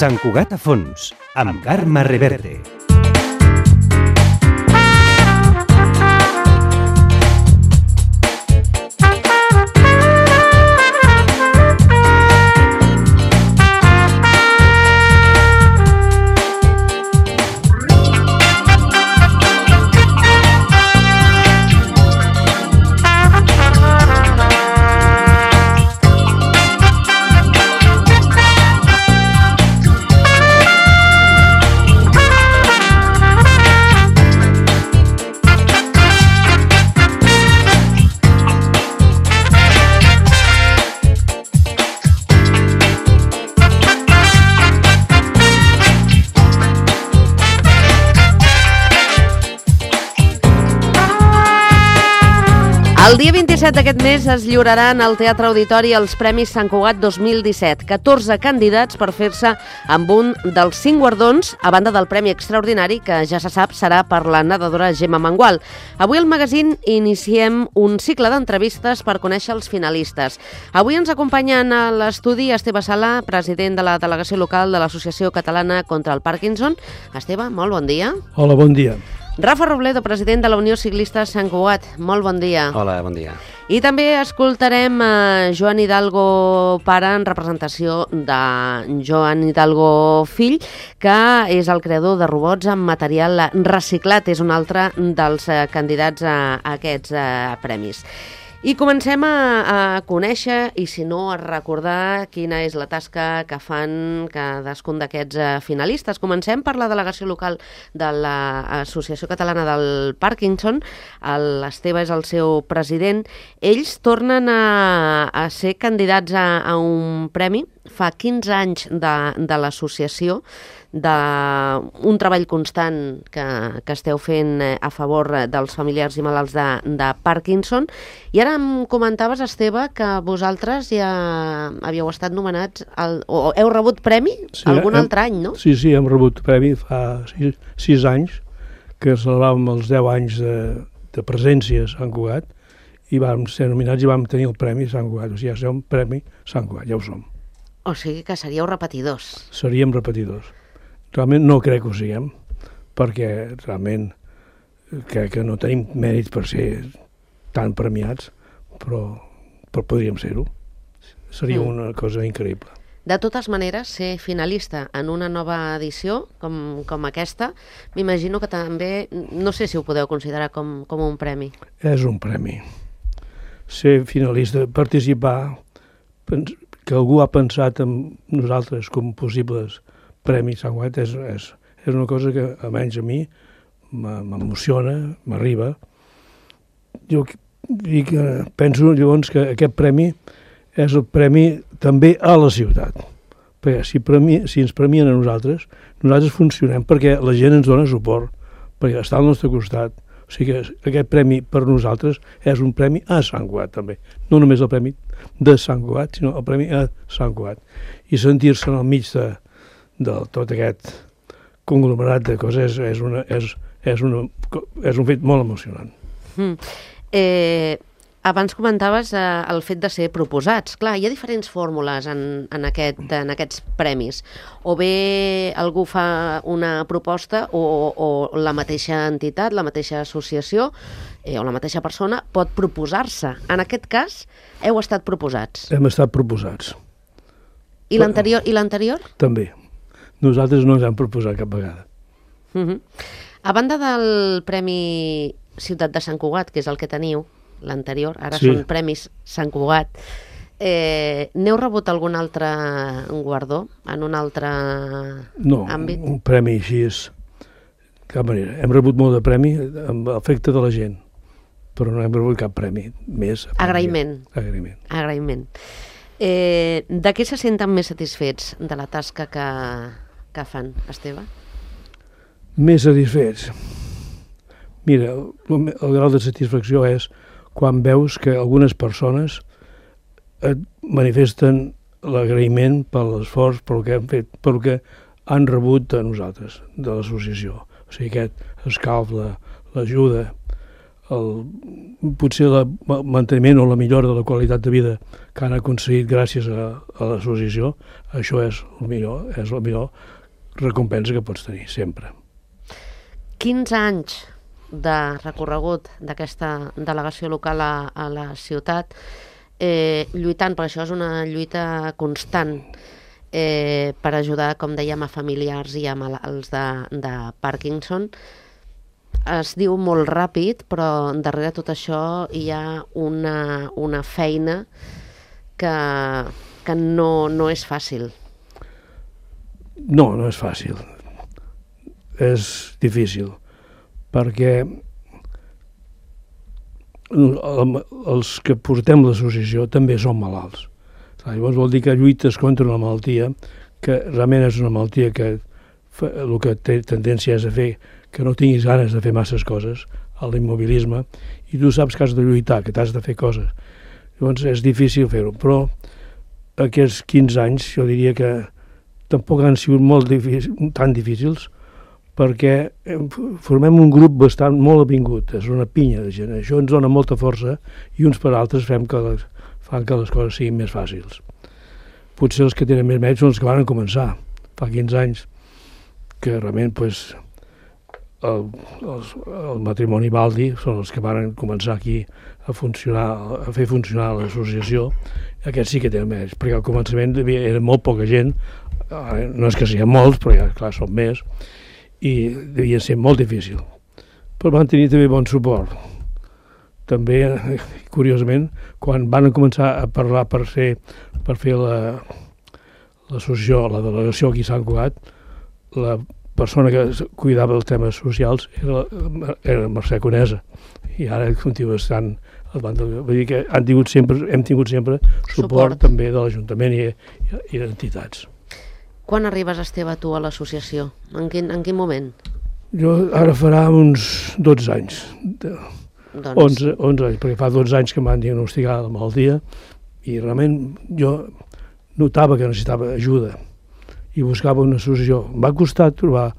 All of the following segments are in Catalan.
Sant Cugat a fons, amb Carme Reverte. El dia 27 d'aquest mes es lliuraran al Teatre Auditori els Premis Sant Cugat 2017. 14 candidats per fer-se amb un dels 5 guardons, a banda del Premi Extraordinari, que ja se sap serà per la nedadora Gemma Mengual. Avui al magazín iniciem un cicle d'entrevistes per conèixer els finalistes. Avui ens acompanyen a l'estudi Esteve Sala, president de la delegació local de l'Associació Catalana contra el Parkinson. Esteve, molt bon dia. Hola, bon dia. Rafa Robledo, president de la Unió Ciclista Sant Cugat. Molt bon dia. Hola, bon dia. I també escoltarem Joan Hidalgo pare en representació de Joan Hidalgo fill, que és el creador de robots amb material reciclat. És un altre dels candidats a aquests premis. I comencem a conèixer, i si no, a recordar quina és la tasca que fan cadascun d'aquests finalistes. Comencem per la delegació local de l'Associació Catalana del Parkinson. L'Esteve és el seu president. Ells tornen a ser candidats a un premi. Fa 15 anys de l'associació, d'un treball constant que esteu fent a favor dels familiars i malalts de Parkinson. I ara em comentaves, Esteve, que vosaltres ja havíeu estat nomenats, o heu rebut premi algun altre any, no? Sí, hem rebut premi fa 6 anys, que celebràvem els 10 anys de presència a Sant Cugat, i vam ser nominats i vam tenir el Premi Sant Cugat. O sigui, ja som Premi Sant Cugat, ja ho som. O sigui que seríeu repetidors. Seríem repetidors. Realment no crec que ho siguem, perquè realment crec que no tenim mèrit per ser tan premiats, però podríem ser-ho. Seria una cosa increïble. De totes maneres, ser finalista en una nova edició com aquesta, m'imagino que també, no sé si ho podeu considerar com un premi. És un premi. Ser finalista, participar, que algú ha pensat en nosaltres com possibles premis Sant Cugat és una cosa que, almenys a mi, m'emociona, m'arriba. Jo penso llavors que aquest premi és el premi també a la ciutat. Perquè si ens premien a nosaltres funcionem perquè la gent ens dona suport, perquè està al nostre costat. O sigui que aquest premi per nosaltres és un premi a Sant Cugat també. No només el premi de Sant Cugat, sinó el premi a Sant Cugat. I sentir-se al mig de tot aquest conglomerat de coses és un fet molt emocionant. Abans comentaves el fet de ser proposats. Clar, hi ha diferents fórmules en aquests premis. O bé algú fa una proposta o la mateixa entitat, la mateixa associació o la mateixa persona pot proposar-se. En aquest cas, heu estat proposats. Hem estat proposats. I l'anterior? També. Nosaltres no ens hem proposat cap vegada. A banda del Premi Ciutat de Sant Cugat, que és el que teniu, l'anterior, ara sí. Són Premis Sant Cugat, n'heu rebut algun altre guardó en un altre àmbit? No, un premi així és cap manera. Hem rebut molt de premi amb l'efecte de la gent, però no hem rebut cap premi més. Agraïment. De què se senten més satisfets de la tasca que fan, Esteve? Més satisfets? Mira, el grau de satisfacció és quan veus que algunes persones et manifesten l'agraïment per l'esforç, pel que hem fet, pel que han rebut de nosaltres, de l'associació. O sigui, aquest escalf, l'ajuda, potser el manteniment o la millora de la qualitat de vida que han aconseguit gràcies a l'associació, això és la millor recompensa que pots tenir, sempre. 15 anys de recorregut d'aquesta delegació local a la ciutat, lluitant, per això és una lluita constant per ajudar, com dèiem, a familiars i a malalts de Parkinson. Es diu molt ràpid, però darrere tot això hi ha una feina que no és fàcil. No és fàcil. És difícil, perquè els que portem l'associació també som malalts. Llavors vol dir que lluites contra una malaltia que realment és una malaltia que el que té tendència és a fer que no tinguis ganes de fer masses coses, a l'immobilisme, i tu saps que has de lluitar, que t'has de fer coses. Llavors és difícil fer-ho, però aquests 15 anys jo diria que tampoc han sigut tan difícils, perquè formem un grup molt avingut, és una pinya de gent. Això ens dona molta força i uns per altres fan que les coses siguin més fàcils. Potser els que tenen més mèrits són els que van començar fa 15 anys, que realment el matrimoni Baldi són els que van començar aquí a fer funcionar l'associació. Aquests sí que tenen mèrits, perquè al començament era molt poca gent, no és que siguin molts, però ja, clar, són més, i devia ser molt difícil. Però van tenir també bon suport. També, curiosament, quan van començar a parlar per fer l'associació, la delegació aquí a Sant Cugat, la persona que cuidava dels temes socials era Mercè Conesa, i ara continua estant al banc. Vull dir que hem tingut sempre suport també de l'Ajuntament i d'entitats. Quan arribes, Esteve, tu a l'associació? En quin moment? Jo ara farà uns 12 anys. 11 anys, perquè fa 12 anys que em van diagnosticar la malaltia i realment jo notava que necessitava ajuda i buscava una associació. Em va costar trobar,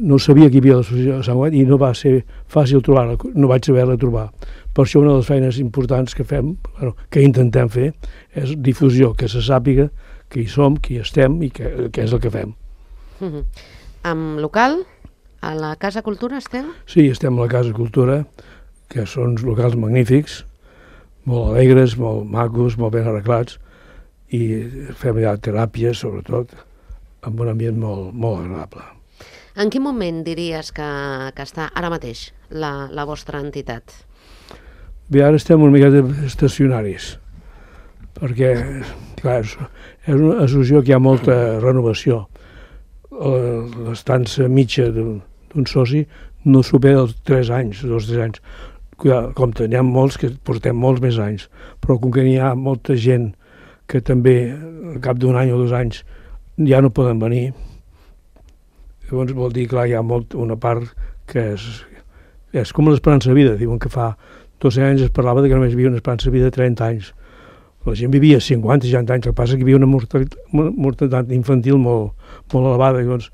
no sabia que hi havia l'associació de Sant Cugat i no va ser fàcil trobar-la, no vaig saber-la trobar. Per això una de les feines importants que fem, que intentem fer, és difusió, que se sàpiga que hi som, que hi estem i que és el que fem. Amb local? A la Casa Cultura estem? Sí, estem a la Casa Cultura, que són uns locals magnífics, molt alegres, molt macos, molt ben arreglats, i fem ja teràpies, sobretot, amb un ambient molt agradable. En quin moment diries que està ara mateix la vostra entitat? Bé, ara estem una miqueta estacionaris, perquè, clar, és una associació que hi ha molta renovació. L'estança mitja d'un soci no supera els 3 anys, 2 o 3 anys. Compte, n'hi ha molts que portem molts més anys, però com que n'hi ha molta gent que també al cap d'un any o 2 anys ja no poden venir, llavors vol dir, clar, hi ha una part que és com l'esperança de vida. Diuen que fa 2 anys es parlava que només hi havia una esperança de vida de 30 anys. La gent vivia 50, 60 anys, el que passa és que hi havia una mortalitat infantil molt elevada, llavors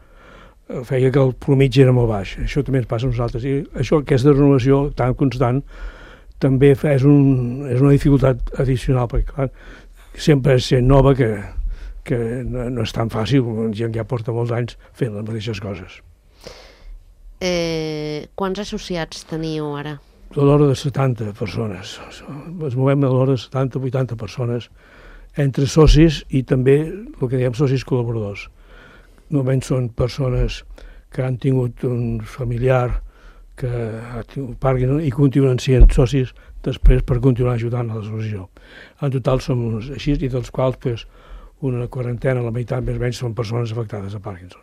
feia que el promitge era molt baix. Això també ens passa a nosaltres. I això, aquesta renovació tan constant, també és una dificultat addicional, perquè clar, sempre és gent nova que no és tan fàcil, gent que ja porta molts anys fent les mateixes coses. Quants associats teniu ara? A l'hora de 70 persones. Ens movem a l'hora de 70 o 80 persones, entre socis i també el que diem socis col·laboradors. Normalment són persones que han tingut un familiar que ha tingut Parkinson i continuen sent socis després per continuar ajudant a l'associació. En total som uns així, i dels quals una quarantena, la meitat més o menys, són persones afectades a Parkinson.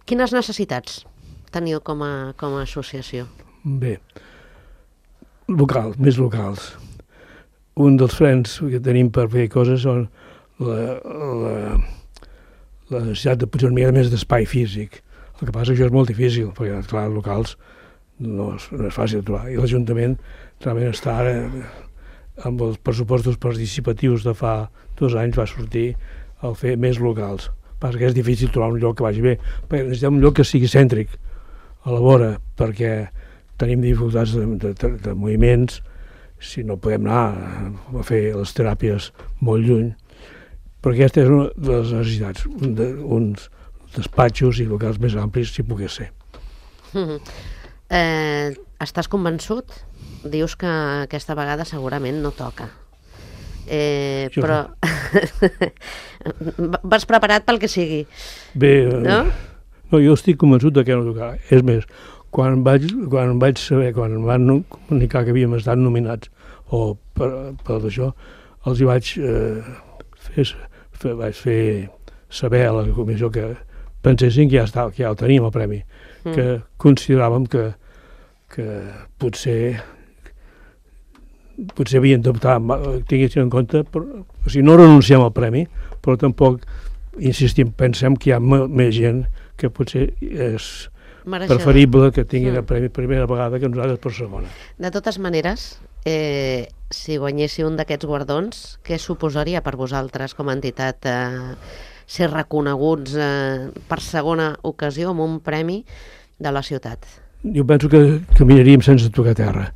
Quines necessitats teniu com a associació? Bé, més locals. Un dels frens que tenim per fer coses són la necessitat de potser una mica més d'espai físic. El que passa és que això és molt difícil, perquè, clar, locals no és fàcil de trobar. I l'Ajuntament realment està ara, amb els pressupostos participatius de fa 2 anys, va sortir a fer més locals. Passa que és difícil trobar un lloc que vagi bé, perquè necessitem un lloc que sigui cèntric a la vora, perquè tenim dificultats de moviments, si no podem anar a fer les teràpies molt lluny. Però aquesta és una de les necessitats, uns despatxos i locals més amplis, si pogués ser. Estàs convençut? Dius que aquesta vegada segurament no toca. Però vas preparat pel que sigui. Bé, no, jo estic convençut que no tocarà. És més, quan vaig saber, quan em van comunicar que havíem estat nominats o per això, els hi vaig fer saber a la comissió que pensessin que ja el teníem el premi, que consideràvem que potser havien d'optar, tinguessin en compte, o sigui, no renunciem al premi, però tampoc insistim, pensem que hi ha més gent que potser és preferible que tinguin el premi per primera vegada que nosaltres per segona. De totes maneres, si guanyéssiu un d'aquests guardons, què suposaria per vosaltres com a entitat ser reconeguts per segona ocasió amb un premi de la ciutat? Jo penso que caminaríem sense tocar terra.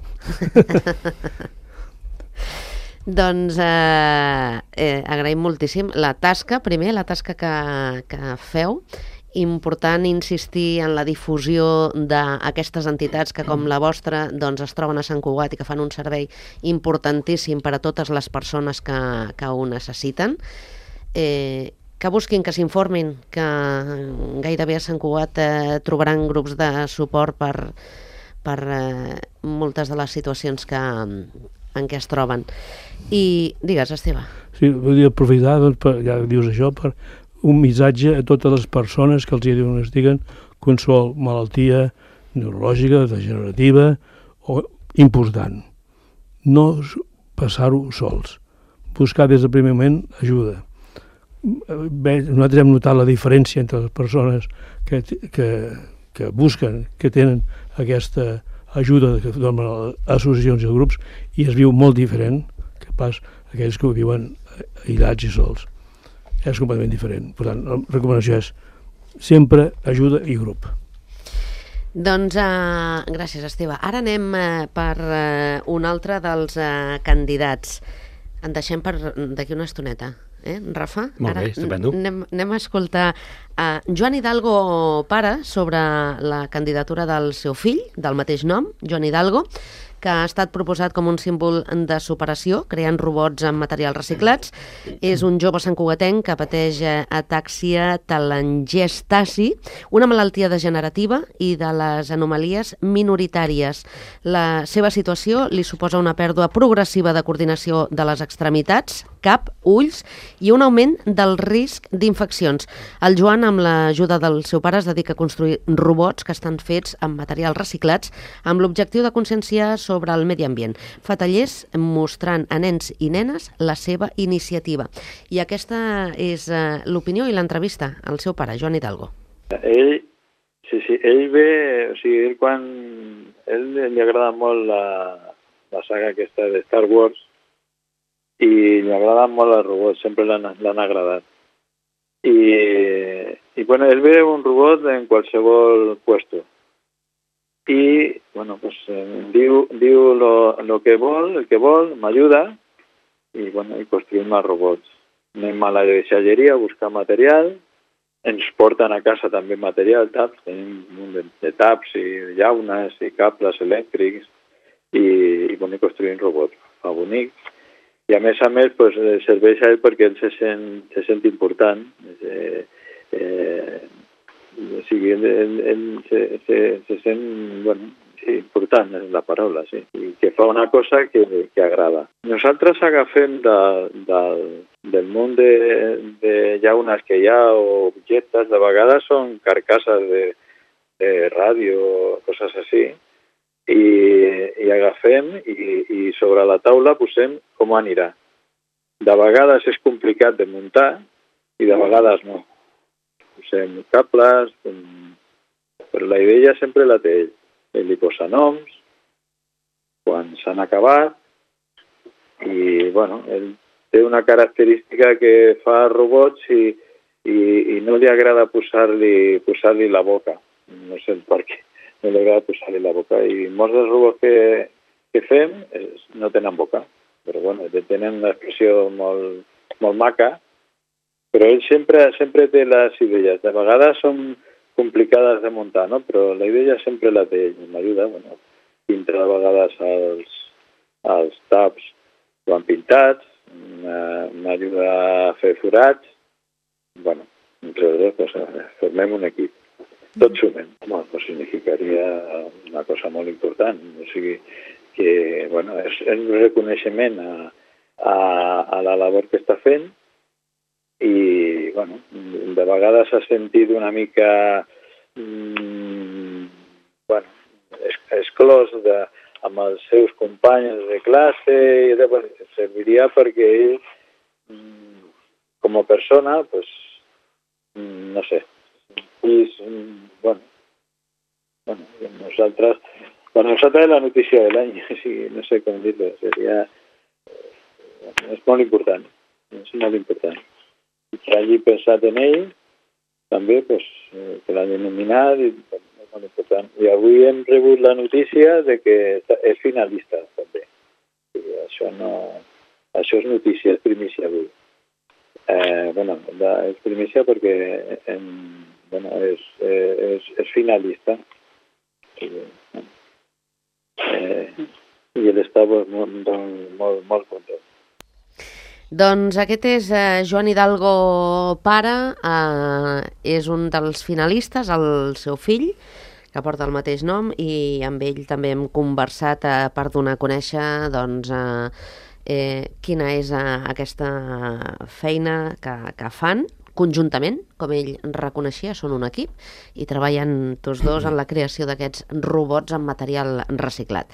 Doncs agraïm moltíssim la tasca que feu. Important insistir en la difusió d'aquestes entitats que, com la vostra, doncs es troben a Sant Cugat i que fan un servei importantíssim per a totes les persones que ho necessiten. Que busquin, que s'informin, que gairebé a Sant Cugat trobaran grups de suport per moltes de les situacions en què es troben. I digues, Esteve. Sí, vull aprofitar, ja dius això, per un missatge a totes les persones que els diagnostiquen qualsevol malaltia neurològica, degenerativa o important. No passar-ho sols. Buscar des del primer moment ajuda. Nosaltres hem notat la diferència entre les persones que busquen, que tenen aquesta ajuda que donen les associacions i grups, i es viu molt diferent que pas aquells que ho viuen aïllats i sols. És completament diferent. Per tant, la recomanació és sempre ajuda i grup. Doncs gràcies, Esteve. Ara anem per un altre dels candidats. En deixem per d'aquí una estoneta. Rafa? Molt bé, estupendo. Anem a escoltar Joan Hidalgo pare sobre la candidatura del seu fill, del mateix nom, Joan Hidalgo, que ha estat proposat com un símbol de superació, creant robots amb materials reciclats. És un jove santcugatenc que pateix atàxia telangiectasi, una malaltia degenerativa i de les anomalies minoritàries. La seva situació li suposa una pèrdua progressiva de coordinació de les extremitats, cap, ulls i un augment del risc d'infeccions. El Joan, amb l'ajuda del seu pare, es dedica a construir robots que estan fets amb materials reciclats amb l'objectiu de conscienciar sobre el medi ambient. Fa tallers mostrant a nens i nenes la seva iniciativa. I aquesta és l'opinió i l'entrevista al seu pare, Joan Hidalgo. Ell ve, o sigui, ell li agrada molt la saga aquesta de Star Wars i li agraden molt els robots, sempre l'han agradat. I bueno, ell ve un robot en qualsevol puesto. Y bueno, pues diu lo que vol, el que vol, m'ajuda i bueno, i construïm els robots. Anem a la deixalleria a buscar material, ens porten a casa també material, taps, tenim un munt de taps i llaunes i cables elèctrics i bueno, construïm robots. Fa bonic. I a més, pues, serveix a ell perquè ell se sent important. O sigui, ell se sent, bueno, sí, important és la paraula, sí, i que fa una cosa que agrada. Nosaltres agafem del món de llaunes que hi ha o objectes, de vegades són carcasses de ràdio, coses així, i agafem i sobre la taula posem com anirà. De vegades és complicat de muntar i de vegades no. Posem cables, però la idea sempre la té ell. Ell li posa noms quan s'han acabat i, bueno, ell té una característica que fa robots i no li agrada posar-li la boca. No sé per què. no li agrada posar-li la boca. I molts dels robots que fem no tenen boca, però bueno, tenen una expressió molt maca, però ell sempre té les idees. De vegades són complicades de muntar, no? Però la idea sempre la té ell, m'ajuda, bueno, pinta de vegades els taps quan pintats, m'ajuda a fer forats, bueno, entre dos, pues, formem un equip. Tots sumem. Bueno, pues significaria una cosa molt important, o sigui que, bueno, és un reconeixement a la labor que està fent i, bueno, de vegades s'ha sentit una mica, bueno, exclòs amb els seus companys de classe, i bueno, serviria perquè ell, com a persona, pues, no sé, bueno, per nosaltres és la notícia de l'any, no sé com dir-ho, seria, és molt important, I que hagi pensat en ell, també, pues, que l'hagi nominat, és molt important. I avui hem rebut la notícia de que és finalista, també. I això és notícia, és primícia avui. Bueno, és primícia perquè és finalista. I ell està molt content. Doncs aquest és Joan Hidalgo pare, és un dels finalistes, el seu fill, que porta el mateix nom, i amb ell també hem conversat per donar a conèixer doncs, quina és aquesta feina que fan conjuntament, com ell reconeixia, són un equip i treballen tots dos en la creació d'aquests robots amb material reciclat.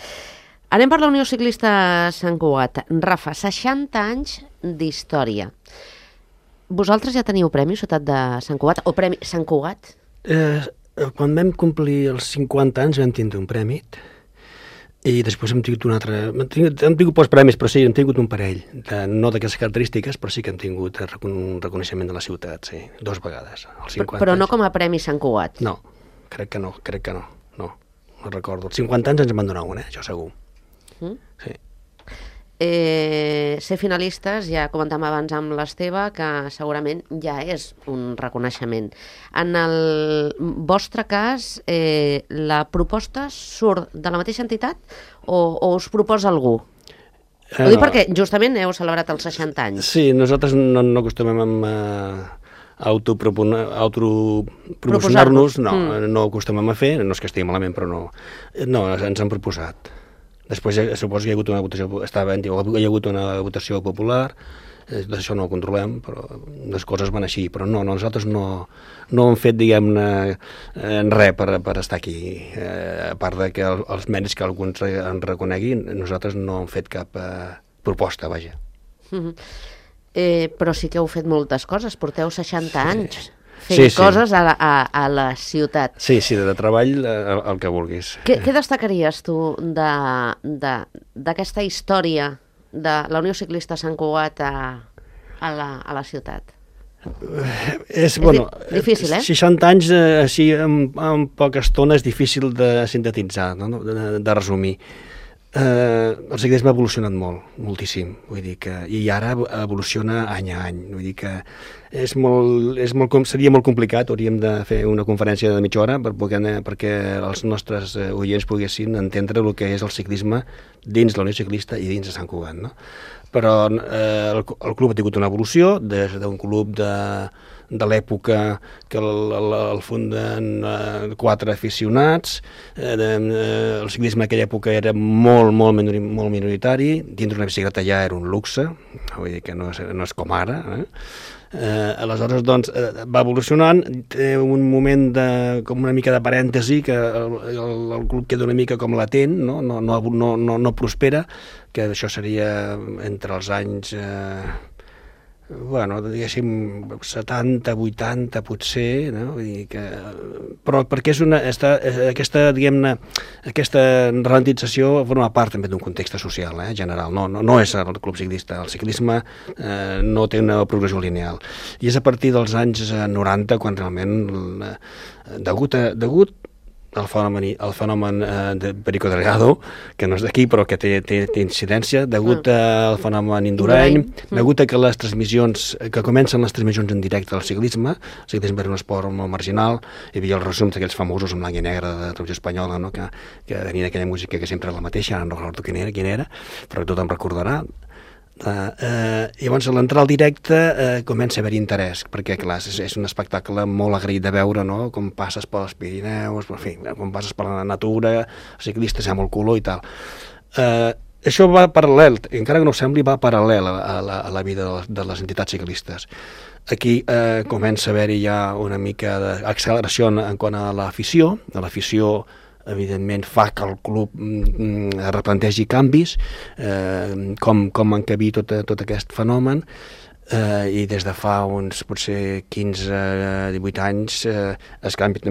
Anem per la Unió Ciclista Sant Cugat. Rafa, 60 anys d'història. Vosaltres ja teniu premi Ciutat de Sant Cugat o premi Sant Cugat? Quan vam complir els 50 anys vam tindre un premi i després hem tingut un altre... Hem tingut pocs premis, però sí, hem tingut un parell. No d'aquestes característiques, però sí que hem tingut un reconeixement de la ciutat, sí, 2 vegades. Però no com a premi Sant Cugat? No, crec que no. No recordo. Els 50 anys ens en van donar un, això segur. Sí. Ser finalistes, ja comentàvem abans amb l'Esteve, que segurament ja és un reconeixement. En el vostre cas, la proposta surt de la mateixa entitat o us proposa algú? Ho dic perquè justament heu celebrat els 60 anys. Sí, nosaltres no acostumem a autopromocionar-nos, no ho acostumem a fer, no és que estigui malament, però no, ens han proposat. Després suposo que hi ha hagut una votació popular, d'això no ho controlem, però les coses van així, però no, nosaltres no hem fet, diguem-ne, res per estar aquí, a part de que els mèrits que alguns en reconeguin, nosaltres no hem fet cap proposta, vaja. Però sí que heu fet moltes coses, porteu 60 anys fent coses a la ciutat. Sí, de treball el que vulguis. Què destacaries tu d'aquesta història de la Unió Ciclista Sant Cugat a la ciutat? És difícil, 60 anys així en poca estona és difícil de sintetitzar, de resumir. El ciclisme ha evolucionat moltíssim, vull dir que, i ara evoluciona any a any, vull dir que seria molt complicat, hauríem de fer una conferència de mitja hora perquè els nostres oients poguessin entendre el que és el ciclisme dins la Unió Ciclista i dins de Sant Cugat, no? Però el club ha tingut una evolució des d'un club de l'època que el funden 4 aficionats, el ciclisme en aquella època era molt minoritari, dintre una bicicleta ja era un luxe, vull dir que no és com ara, aleshores doncs va evolucionant, té un moment com una mica de parèntesi que el club queda una mica com latent, no prospera, que això seria entre els anys diguéssim 70, 80 potser, no? Vull dir que, però perquè aquesta ralentització forma part també d'un context social general, no és el club ciclista, el ciclisme no té una progressió lineal, i és a partir dels anys 90 quan realment degut el fenomen de Perico Delgado, que no és d'aquí però que té incidència, degut al fenomen Indurain, degut a que les transmissions, que comencen les transmissions en directe del ciclisme. El ciclisme era un esport molt marginal, hi havia els resums d'aquells famosos en blanc i negre de Televisió Espanyola, no? que tenien aquella música que sempre era la mateixa, ara no recordo quina era, però tothom recordarà. Llavors a l'entrar al directe comença a haver interès, perquè clar, és un espectacle molt agraït de veure, no? Com passes pels Pirineus, en fi, com passes per la natura, els ciclistes hi ha molt color i tal. Això va paral·lel, encara que no ho sembli, va paral·lel a la vida de les entitats ciclistes. Aquí comença a haver-hi ja una mica d'acceleració en quant a l'afició. L'afició evidentment fa que el club replantegi canvis, com encabir tot aquest fenomen, i des de fa uns potser 15-18 anys es canvia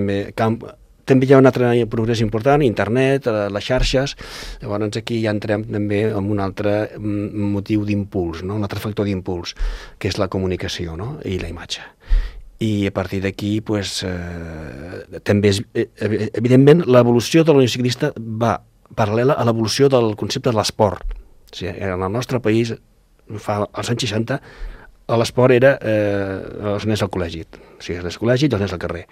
també hi ha un altre progrés important, internet, les xarxes. Llavors aquí ja entrem també en un altre motiu d'impuls, no? Un altre factor d'impuls, que és la comunicació, no? I la imatge. I a partir d'aquí també evidentment l'evolució de la Unió Ciclista va paral·lela a l'evolució del concepte de l'esport. O sigui, en el nostre país als anys 60 l'esport era els nens al col·legi, o sigui, els nens al col·legi i els nens al carrer,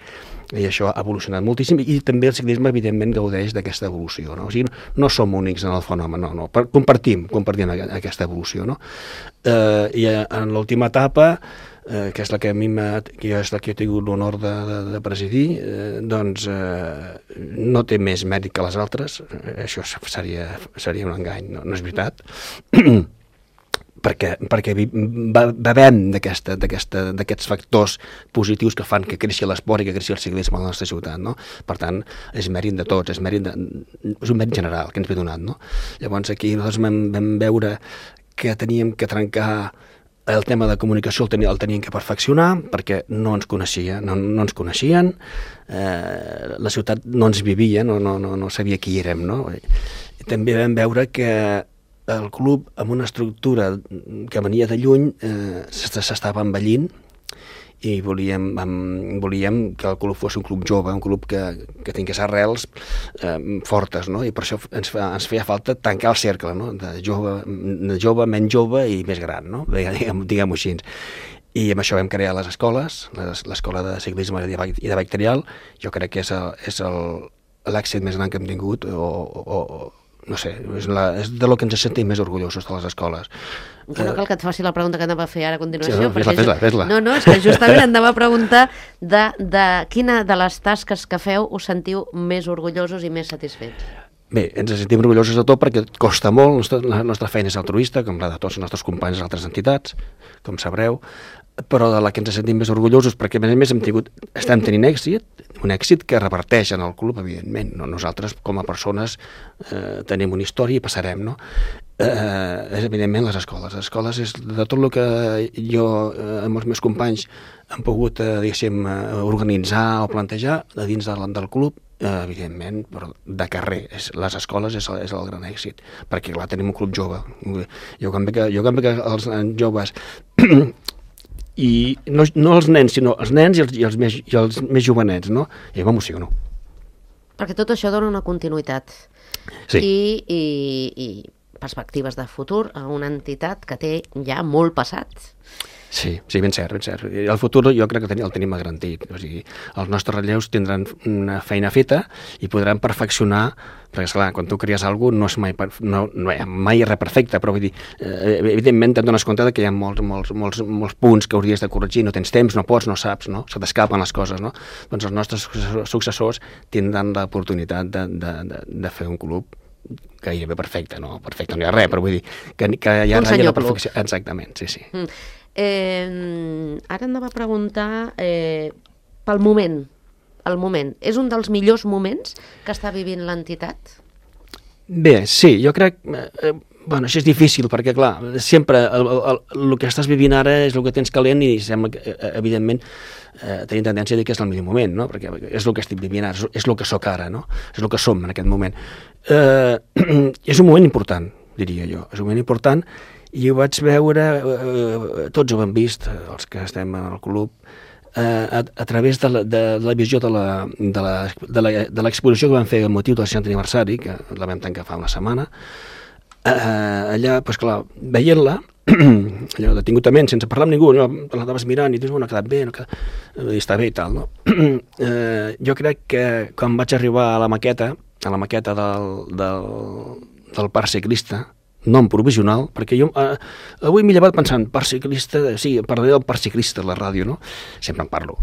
i això ha evolucionat moltíssim, i també el ciclisme evidentment gaudeix d'aquesta evolució, no? O sigui, no som únics en el fenomen, no. Compartim aquesta evolució, no? I en l'última etapa, que és la que a mi que és la que he tingut l'honor de presidir, doncs no té més mèrit que les altres. Això seria un engany, no és veritat. perquè bevem d'aquests factors positius que fan que creixi l'esport i que creixi el ciclisme a la nostra ciutat, no? Per tant, és mèrit de tots, és un mèrit general que ens ve donat, no? Llavors aquí nosaltres vam veure que teníem que trencar el tema de comunicació, el teníem que perfeccionar, perquè no ens coneixien, la ciutat no ens vivia, no sabia qui érem, no? També vam veure que el club, amb una estructura que venia de lluny, s'estava envellint, i volíem que el club fos un club jove, un club que tingués arrels fortes, no? I per això ens feia falta tancar el cercle, no? De jove, menys jove i més gran, no? Diguem-ho així. I amb això vam crear les escoles, l'escola de ciclisme i de bike trial. Jo crec que és l'èxit més gran que hem tingut, no sé, és de lo que ens sentim més orgullosos de les escoles. Que no cal que et faci la pregunta que anava a fer ara a continuació. Sí, fes-la. No, és que justament anava a preguntar de quina de les tasques que feu us sentiu més orgullosos i més satisfets. Bé, ens sentim orgullosos de tot perquè costa molt, la nostra feina és altruista, com la de tots els nostres companys d'altres entitats, com sabreu, però de la que ens sentim més orgullosos, perquè a més estem tenint èxit, un èxit que reverteix en el club, evidentment. Nosaltres, com a persones, tenim una història i passarem, no? És evidentment les escoles. Les escoles és de tot el que jo amb els meus companys hem pogut, diguéssim, organitzar o plantejar a dins del club, evidentment, però de carrer. Les escoles és el gran èxit, perquè clar, tenim un club jove. Jo quan veig que els joves i no els nens, sinó els nens i els més jovenets, no? I m'emociono. Perquè tot això dona una continuïtat. Sí. I perspectives de futur a una entitat que té ja molt passat. Sí, ben cert. El futur jo crec que el tenim garantit. O sigui, els nostres relleus tindran una feina feta i podran perfeccionar, perquè esclar, quan tu cries alguna cosa no hi ha mai res perfecte, però vull dir, evidentment te'n dones compte que hi ha molts punts que hauries de corregir, no tens temps, no pots, no saps, no? Se t'escapen les coses, no? Doncs els nostres successors tindran l'oportunitat de fer un club gairebé perfecte, no hi ha res, però vull dir que hi ha la perfecció. Exactament, sí. Ara anava a preguntar pel moment. El moment. És un dels millors moments que està vivint l'entitat? Bé, sí, jo crec... Bueno, això és difícil, perquè, clar, sempre el que estàs vivint ara és el que tens calent i sembla que, evidentment, tenim tendència a dir que és el millor moment, no? Perquè és el que estic vivint ara, és el que sóc ara, no? És el que som en aquest moment. És un moment important, diria jo. És un moment important i ho vaig veure, tots ho hem vist, els que estem en el club, a través de la visió de l'exposició que vam fer amb motiu del 60 aniversari, que la vam tancar fa una setmana, allà, doncs clar, veient-la, allò detingudament, sense parlar amb ningú, l'anaves mirant i dius, no ha quedat bé, i està bé i tal, no? Jo crec que quan vaig arribar a la maqueta del parc ciclista, nom provisional, perquè jo avui m'he llevat pensant, parc ciclista, sí, parlaré del parc ciclista a la ràdio, no? Sempre en parlo.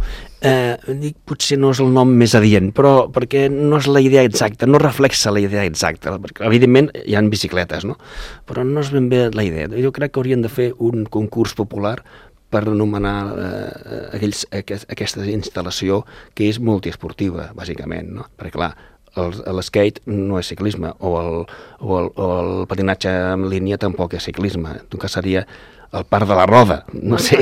Dic, potser no és el nom més adient, però perquè no és la idea exacta, no reflexa la idea exacta, perquè evidentment hi ha bicicletes, no? Però no és ben bé la idea. Jo crec que haurien de fer un concurs popular per anomenar aquesta instal·lació que és multiesportiva, bàsicament, no? Perquè, clar, l'skate no és ciclisme, o el patinatge en línia tampoc és ciclisme, que seria el parc de la Roda, no sé,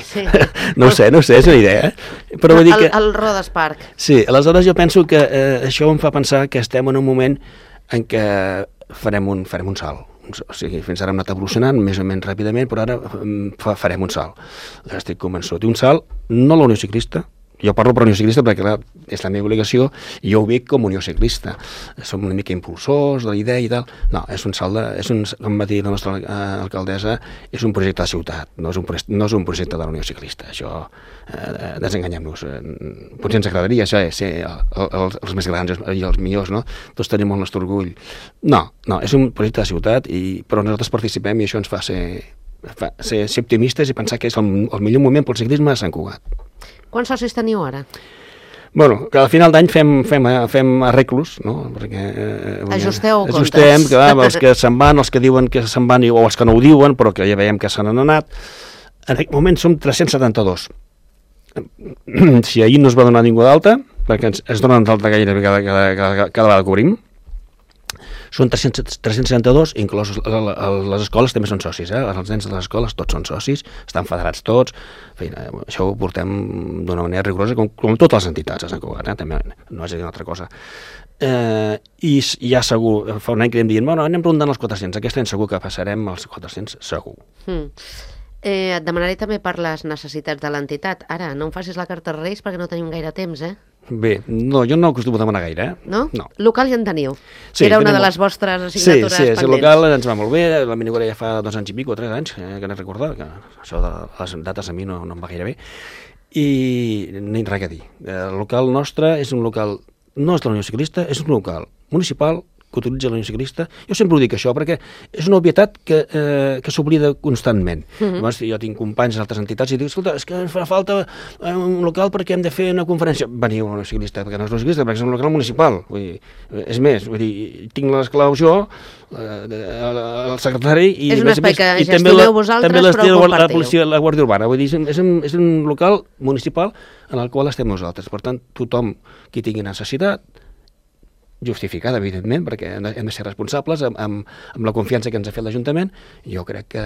no sé, és una idea. Però vull dir que... El Rodes Park. Sí, aleshores jo penso que això em fa pensar que estem en un moment en què farem un salt. O sigui, fins ara hem anat evolucionant més o menys ràpidament, però ara farem un salt. Estic convençut. Un salt, no la Unió Ciclista, jo parlo per Unió Ciclista perquè, clar, és la meva obligació i jo ho veig com Unió Ciclista. Som una mica impulsors de la idea i tal. No, és un salt com va dir la nostra alcaldessa, és un projecte de ciutat, no és un projecte de la Unió Ciclista. Això, desenganyem-nos. Potser ens agradaria ser els més grans i els millors, no? Tots tenim el nostre orgull. No, és un projecte de ciutat, però nosaltres participem i això ens fa ser optimistes i pensar que és el millor moment pel ciclisme a Sant Cugat. Quants socis teniu ara? Bueno, que al final d'any fem arreglos, no? Perquè, ajustem, que els que se'n van, els que diuen que se'n van o els que no ho diuen, però que ja veiem que se n'han anat. En aquest moment som 372. Si ahir no es va donar ningú d'alta, perquè es donen d'alta gairebé cada vegada que obrim, són 362, inclòs les escoles també són socis, els nens de les escoles tots són socis, estan federats tots, això ho portem d'una manera rigorosa com totes les entitats a Sant Cugat, també no és a dir una altra cosa. I ja segur, fa un any que anem dient, bueno, anem rondant els 400, aquest any segur que passarem els 400, segur. Et demanaré també per les necessitats de l'entitat. Ara, no em facis la carta als Reis perquè no tenim gaire temps, Bé, no, jo no acostumo a demanar gaire, No? Local ja en teniu. Sí, era una de les vostres assignatures pendents. Sí, el local ens va molt bé, la minigora ja fa 2 anys i pico, 3 anys, que n'he recordat, que això de les dates a mi no em va gaire bé, i ni res a dir. El local nostre és un local, no és de la Unió Ciclista, és un local municipal que utilitza la Unió Ciclista. Jo sempre ho dic això, perquè és una obvietat que s'oblida constantment. Llavors, jo tinc companys d'altres entitats i dic, escolta, és que ens fa falta un local perquè hem de fer una conferència. Veniu a la Unió Ciclista, perquè no és la Unió Ciclista, perquè és un local municipal. Vull dir, és més, tinc les claus jo, el secretari, i és un espai que gestioneu vosaltres, però ho compartiu. La Guàrdia Urbana. Vull dir, és un local municipal en el qual estem nosaltres. Per tant, tothom qui tingui necessitat, justificada, evidentment, perquè hem de ser responsables amb la confiança que ens ha fet l'Ajuntament, jo crec que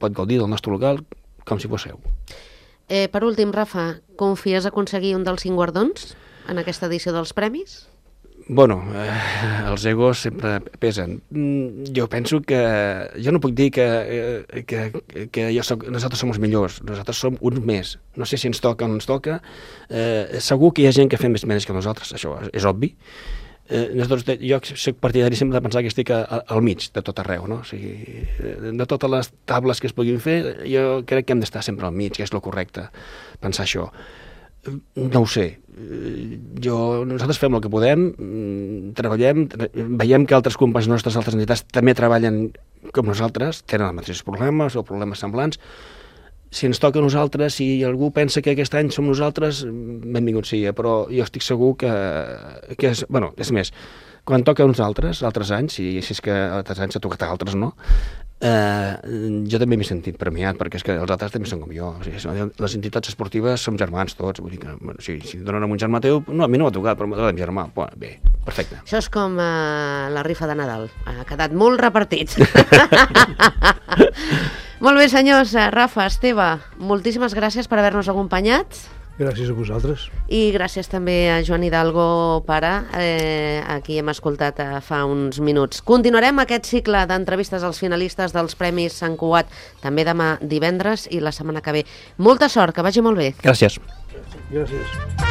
pot gaudir del nostre local com si fos seu. Per últim, Rafa, confies aconseguir un dels 5 guardons en aquesta edició dels premis? Bueno, els egos sempre pesen. Jo penso que... Jo no puc dir que nosaltres som els millors, nosaltres som uns més. No sé si ens toca o no ens toca. Segur que hi ha gent que fa més mèrits que nosaltres, això és obvi. Jo soc partidari sempre de pensar que estic al mig de tot arreu, no? O sigui, de totes les tables que es puguin fer, jo crec que hem d'estar sempre al mig, que és el correcte, pensar això. No ho sé, nosaltres fem el que podem, treballem, veiem que altres companys nostres, altres entitats també treballen com nosaltres, tenen els mateixos problemes o problemes semblants. Si ens toca a nosaltres, si algú pensa que aquest any som nosaltres, benvingut sigui, però jo estic segur que és més, quan toca a uns altres anys, si és que altres anys ha tocat a altres, no? Jo també m'he sentit premiat, perquè és que els altres també són com jo. O sigui, les entitats esportives som germans tots, vull dir que si donen a un germà teu, no, a mi no m'ha tocat, però m'ha donat a germà. Bé, perfecte. Això és com la rifa de Nadal, ha quedat molt repartit. Molt bé, senyors, Rafa, Esteve, moltíssimes gràcies per haver-nos acompanyat. Gràcies a vosaltres. I gràcies també a Joan Hidalgo, pare, a qui hem escoltat fa uns minuts. Continuarem aquest cicle d'entrevistes als finalistes dels Premis Sant Cugat també demà divendres i la setmana que ve. Molta sort, que vagi molt bé. Gràcies. Gràcies.